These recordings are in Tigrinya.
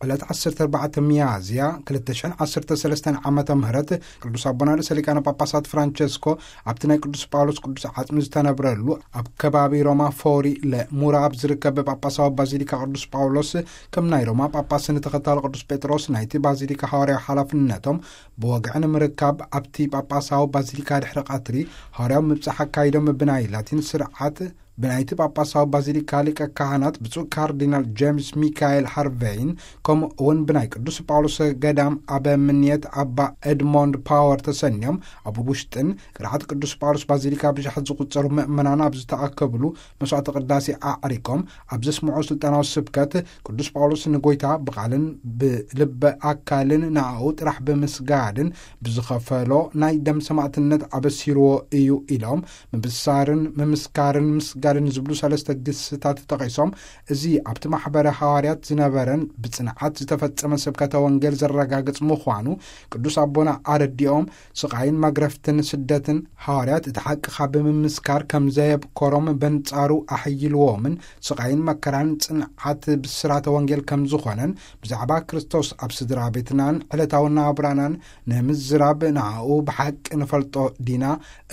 ዕለት ዓሰርተ ኣርባዕተ ሚያዝያ ክልተ ሽሕን ዓሰርተ ሰለስተን ዓመተ ምህረት ቅዱስ ኣቦና ርእሰ ሊቃነ ጳጳሳት ፍራንቸስኮ ኣብቲ ናይ ቅዱስ ጳውሎስ ቅዱስ ዓጽሚ ዝተነብረሉ ኣብ ከባቢ ሮማ ፎሪ ለሙራ ኣብ ዝርከብ ጳጳሳዊ ባዚሊካ ቅዱስ ጳውሎስ ከም ናይ ሮማ ጳጳስ ንተኸታሊ ቅዱስ ጴጥሮስ ናይቲ ባዚሊካ ሃዋርያዊ ሓላፍነቶም ብወግዒ ንምርካብ ኣብቲ ጳጳሳዊ ባዚሊካ ድሕሪ ቀትሪ ሃዋርያዊ ምብጻሕ ኣካይዶም ብናይ ላቲን ስርዓት ብናይቲ ጳጳሳዊ ባዚሊካ ሊቀ ካህናት ብፁዕ ካርዲናል ጄምስ ሚካኤል ሃርቬይን ከምኡ እውን ብናይ ቅዱስ ጳውሎስ ገዳም ኣበምኔት ኣባ ኤድሞንድ ፓወር ተሰንዮም ኣብ ውሽጥን ቅርዓት ቅዱስ ጳውሎስ ባዚሊካ ብሽሓት ዝቁጸሩ ምእመናን ኣብ ዝተኣከብሉ መስዋዕተ ቅዳሴ ኣዕሪቆም ኣብ ዘስምዖ ስልጣናዊ ስብከት ቅዱስ ጳውሎስ ንጎይታ ብቓልን ብልበ ኣካልን ንኣኡ ጥራሕ ብምስጋድን ብዝኸፈሎ ናይ ደም ሰማዕትነት ኣበሲርዎ እዩ ኢሎም ምብሳርን ምምስካርን ምስጋድን ዝብሉ ሰለስተ ግስታት ተጠቒሶም እዚ ኣብቲ ማሕበረ ሃዋርያት ዝነበረን ብጽንዓት ዝተፈጸመ ስብከተ ወንጌል ዘረጋግጽ ምዃኑ ቅዱስ ኣቦና ኣረዲኦም ስቓይን መግረፍትን ስደትን ሃዋርያት እቲ ሓቂ ካብ ብምምስካር ከም ዘየብኮሮም በንጻሩ ኣሕይልዎምን ስቓይን መከራን ጽንዓት ብስራተ ወንጌል ከም ዝኾነን ብዛዕባ ክርስቶስ ኣብ ስድራ ቤትናን ዕለታዊ ናብራናን ንምዝራብ ንኣኡ ብሓቂ ንፈልጦ ዲና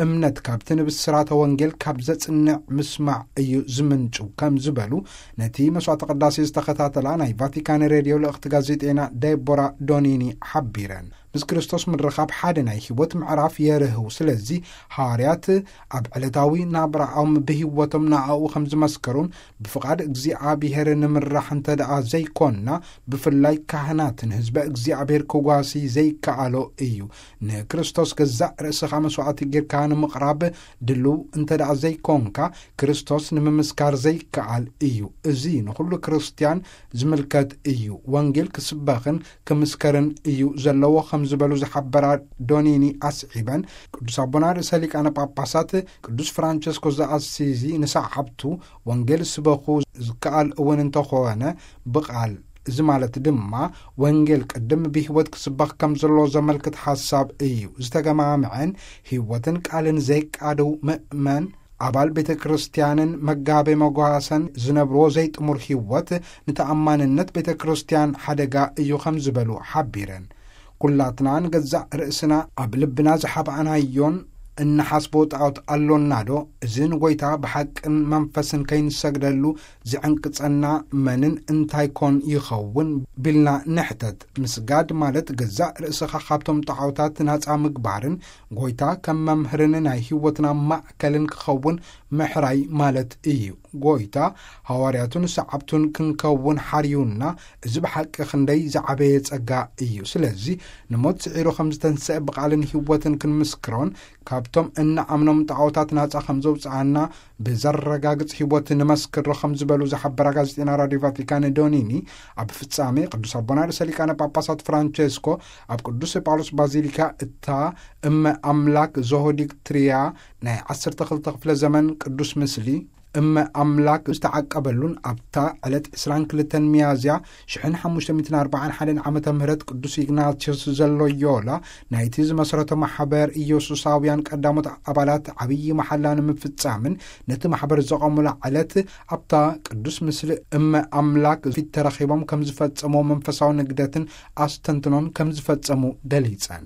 እምነት ካብቲ ንብስራተ ወንጌል ካብ ዘጽንዕ ምስማዕ እዩ ዝምንጩ ከም ዝበሉ ነቲ መስዋዕተ ቅዳሴ ዝተኸታተላ ናይ ቫቲካን ሬድዮ ልእኽቲ ጋዜጤና ዴቦራ ዶኒኒ ሓቢረን። ምስ ክርስቶስ ምርኻብ ሓደ ናይ ህይወት ምዕራፍ የርህው። ስለዚ ሃዋርያት ኣብ ዕለታዊ ናብራኦም ብህይወቶም ንኣኡ ከም ዝመስከሩን ብፍቓድ እግዚኣብሔር ንምራሕ እንተ ደኣ ዘይኮንና ብፍላይ ካህናት ንህዝበ እግዚኣብሔር ክጓሲ ዘይከኣሎ እዩ። ንክርስቶስ ገዛእ ርእስኻ መስዋዕቲ ጌርካ ንምቕራብ ድልው እንተ ደኣ ዘይኮንካ ክርስቶስ ንምምስካር ዘይከኣል እዩ። እዚ ንኹሉ ክርስትያን ዝምልከት እዩ። ወንጌል ክስበኽን ክምስከርን እዩ ዘለዎ ከም ዝበሉ ዝሓበራ ዶኒኒ ኣስዒበን ቅዱስ ኣቦና ርእሰ ሊቃነ ጳጳሳት ቅዱስ ፍራንቸስኮ ዘኣሲዚ ንሰዓብቱ ወንጌል ስበኹ ዝከኣል እውን እንተኾነ ብቓል እዚ ማለት ድማ ወንጌል ቅድም ብህይወት ክስበኽ ከም ዘሎ ዘመልክት ሓሳብ እዩ። ዝተገማምዐን ህይወትን ቃልን ዘይቃደው ምእመን ኣባል ቤተ ክርስቲያንን መጋቤ መጓሰን ዝነብርዎ ዘይጥሙር ህይወት ንተኣማንነት ቤተ ክርስቲያን ሓደጋ እዩ ከም ዝበሉ ሓቢረን። ኩላትና ንገዛእ ርእስና ኣብ ልብና ዝሓብኣናዮን እንሓስቦ ጣዖት ኣሎናዶ? እዚ ንጎይታ ብሓቅን መንፈስን ከይንሰግደሉ ዝዕንቅጸና መንን እንታይ ኮን ይኸውን? ቢልና ንሕተት። ምስጋድ ማለት ገዛእ ርእስኻ ካብቶም ጣዖታት ናጻ ምግባርን ጎይታ ከም መምህርን ናይ ህይወትና ማእከልን ክኸውን ምሕራይ ማለት እዩ። ጎይታ ሃዋርያቱን ሰዓብቱን ክንከውን ሓርዩና፣ እዚ ብሓቂ ክንደይ ዝዓበየ ጸጋ እዩ። ስለዚ ንሞት ስዒሩ ከም ዝተንስአ ብቓልን ህይወትን ክንምስክሮን ካብቶም እንኣምኖም ጣዖታት ናጻ ከም ዘውጽኣና ብዘረጋግጽ ህይወት ንመስክሮ ከም ዝበሉ ዝሓበራ ጋዜጠና ራድዮ ቫቲካን ዶኒኒ ኣብ ፍጻሜ ቅዱስ ኣቦና ርእሰ ሊቃነ ጳጳሳት ፍራንቸስኮ ኣብ ቅዱስ ጳውሎስ ባዚሊካ እታ እመ ኣምላክ ዞሆዲክ ትሪያ ናይ ዓሰርተ ክልተ ክፍለ ዘመን ቅዱስ ምስሊ እመ ኣምላክ ዝተዓቀበሉን ኣብታ ዕለት ዕስራን ክልተን ሚያዝያ ሽሕን ሓሙሽተ ሚእትን ኣርባዓን ሓደን ዓመተ ምህረት ቅዱስ ኢግናቲዮስ ዘሎዮላ ናይቲ ዝመሰረቶ ማሕበር ኢየሱሳውያን ቀዳሞት ኣባላት ዓብዪ መሓላ ንምፍጻምን ነቲ ማሕበር ዘቐሙላ ዕለት ኣብታ ቅዱስ ምስሊ እመ ኣምላክ ፊት ተረኺቦም ከም ዝፈጸምዎ መንፈሳዊ ንግደትን ኣስተንትኖን ከም ዝፈጸሙ ገሊጸን።